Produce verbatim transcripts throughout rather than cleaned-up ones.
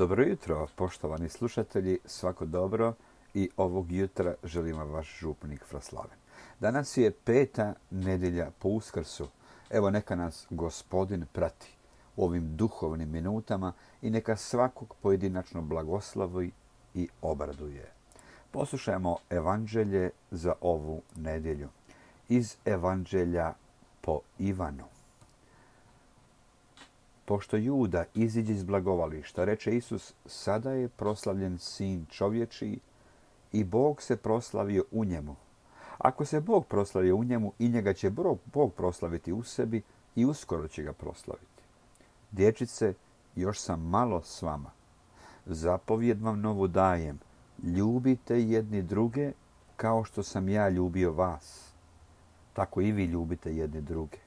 Dobro jutro, poštovani slušatelji, svako dobro i ovog jutra želim vam vaš župnik Fraslaven. Danas je peta nedjelja po Uskrsu. Evo neka nas Gospodin prati u ovim duhovnim minutama i neka svakog pojedinačno blagoslovi i obraduje. Poslušajmo evanđelje za ovu nedjelju. Iz evanđelja po Ivanu. Pošto Juda iziđe iz blagovališta, reče Isus, sada je proslavljen Sin čovječiji i Bog se proslavio u njemu. Ako se Bog proslavio u njemu, i njega će Bog proslaviti u sebi i uskoro će ga proslaviti. Dječice, još sam malo s vama. Zapovjed vam novu dajem. Ljubite jedni druge kao što sam ja ljubio vas. Tako i vi ljubite jedni druge.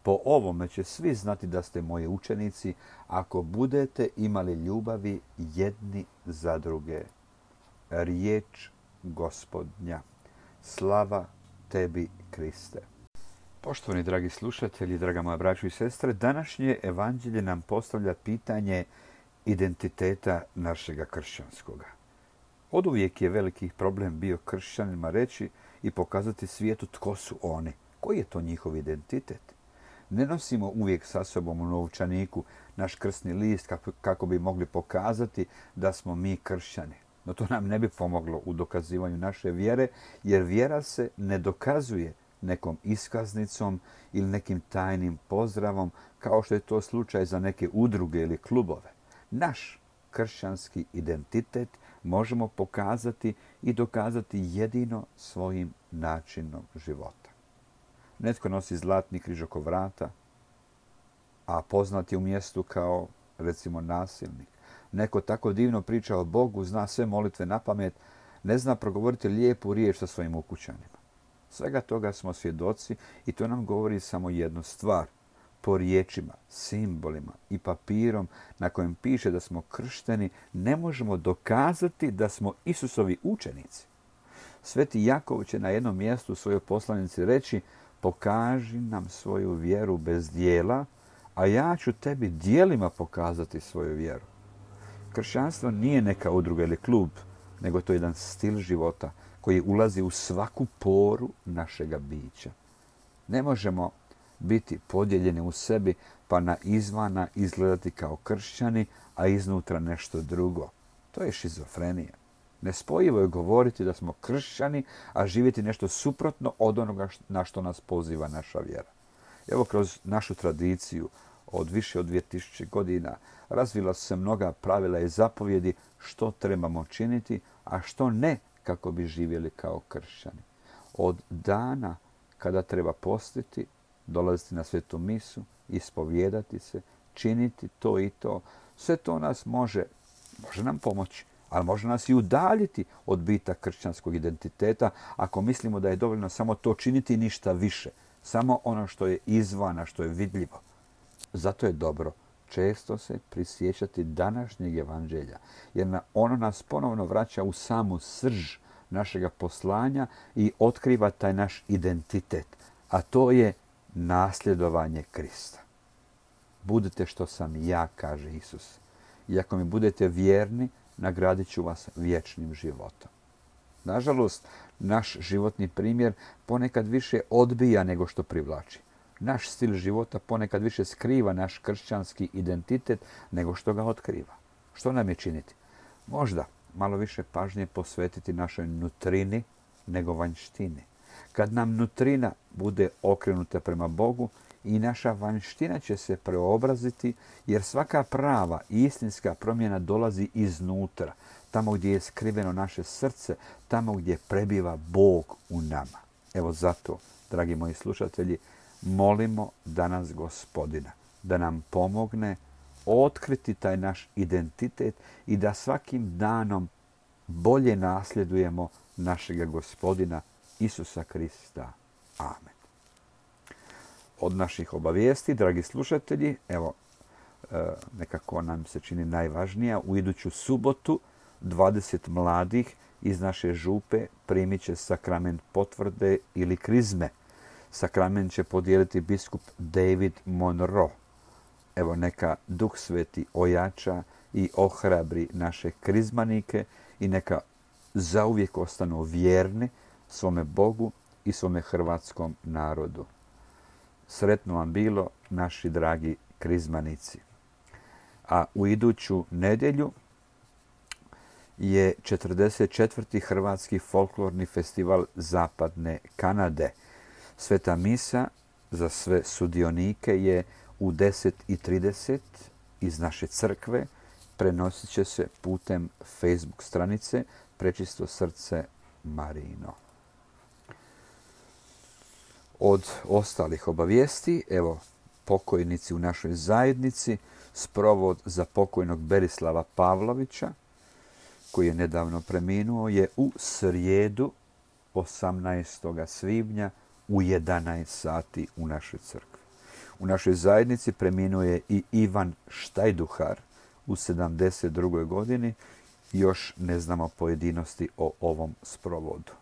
Po ovome će svi znati da ste moji učenici ako budete imali ljubavi jedni za druge. Riječ Gospodnja. Slava tebi, Kriste. Poštovani dragi slušatelji, draga moja braćo i sestre, današnje evanđelje nam postavlja pitanje identiteta našega kršćanskoga. Oduvijek je veliki problem bio kršćanima reći i pokazati svijetu tko su oni, koji je to njihov identitet. Ne nosimo uvijek sa sobom u novčaniku naš krsni list kako bi mogli pokazati da smo mi kršćani. No to nam ne bi pomoglo u dokazivanju naše vjere, jer vjera se ne dokazuje nekom iskaznicom ili nekim tajnim pozdravom, kao što je to slučaj za neke udruge ili klubove. Naš kršćanski identitet možemo pokazati i dokazati jedino svojim načinom života. Netko nosi zlatni križ oko vrata, a poznat je u mjestu kao, recimo, nasilnik. Neko tako divno priča o Bogu, zna sve molitve napamet, ne zna progovoriti lijepu riječ sa svojim ukućanima. Svega toga smo svjedoci i to nam govori samo jednu stvar. Po riječima, simbolima i papirom na kojem piše da smo kršteni, ne možemo dokazati da smo Isusovi učenici. Sveti Jakov će na jednom mjestu u svojoj poslanici reći: pokaži nam svoju vjeru bez dijela, a ja ću tebi dijelima pokazati svoju vjeru. Kršćanstvo nije neka udruga ili klub, nego to je jedan stil života koji ulazi u svaku poru našega bića. Ne možemo biti podijeljeni u sebi pa na izvana izgledati kao kršćani, a iznutra nešto drugo. To je šizofrenija. Nespojivo je govoriti da smo kršćani, a živjeti nešto suprotno od onoga na što nas poziva naša vjera. Evo, kroz našu tradiciju od više od dvije tisuće godina razvila su se mnoga pravila i zapovjedi što trebamo činiti, a što ne kako bi živjeli kao kršćani. Od dana kada treba postiti, dolaziti na svetu misu, ispovijedati se, činiti to i to, sve to nas može, može nam pomoći, ali može nas i udaljiti od bita kršćanskog identiteta ako mislimo da je dovoljno samo to činiti i ništa više. Samo ono što je izvana, što je vidljivo. Zato je dobro često se prisjećati današnjeg evanđelja, jer ono nas ponovno vraća u samu srž našega poslanja i otkriva taj naš identitet, a to je nasljedovanje Krista. Budite što sam ja, kaže Isus. I ako mi budete vjerni, nagradit ću vas vječnim životom. Nažalost, naš životni primjer ponekad više odbija nego što privlači. Naš stil života ponekad više skriva naš kršćanski identitet nego što ga otkriva. Što nam je činiti? Možda malo više pažnje posvetiti našoj nutrini nego vanjštini. Kad nam nutrina bude okrenuta prema Bogu, i naša vanjština će se preobraziti, jer svaka prava i istinska promjena dolazi iznutra, tamo gdje je skriveno naše srce, tamo gdje prebiva Bog u nama. Evo zato, dragi moji slušatelji, molimo danas Gospodina da nam pomogne otkriti taj naš identitet i da svakim danom bolje nasljedujemo našega Gospodina Isusa Krista. Amen. Od naših obavijesti, dragi slušatelji, evo, nekako nam se čini najvažnija, u iduću subotu dvadeset mladih iz naše župe primit će sakrament potvrde ili krizme. Sakrament će podijeliti biskup David Monroe. Evo, neka Duh Sveti ojača i ohrabri naše krizmanike i neka zauvijek ostanu vjerni svome Bogu i svome hrvatskom narodu. Sretno vam bilo, naši dragi krizmanici. A u iduću nedjelju je četrdeset četvrti Hrvatski folklorni festival Zapadne Kanade. Sveta misa za sve sudionike je u deset i trideset iz naše crkve. Prenosit će se putem Facebook stranice Prečisto srce Marijino. Od ostalih obavijesti, evo, pokojnici u našoj zajednici, sprovod za pokojnog Berislava Pavlovića, koji je nedavno preminuo, je u srijedu osamnaestog svibnja u jedanaest sati u našoj crkvi. U našoj zajednici preminuo je i Ivan Štajduhar u sedamdeset drugoj godini. Još ne znamo pojedinosti o ovom sprovodu.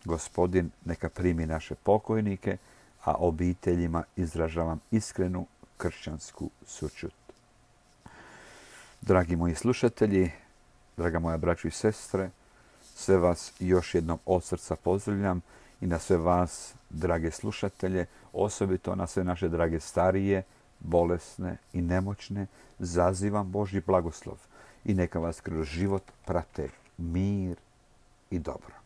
Gospodin neka primi naše pokojnike, a obiteljima izražavam iskrenu kršćansku sućut. Dragi moji slušatelji, draga moja braćo i sestre, sve vas još jednom od srca pozdravljam i na sve vas, drage slušatelje, osobito na sve naše drage starije, bolesne i nemoćne, zazivam Božji blagoslov i neka vas kroz život prate mir i dobro.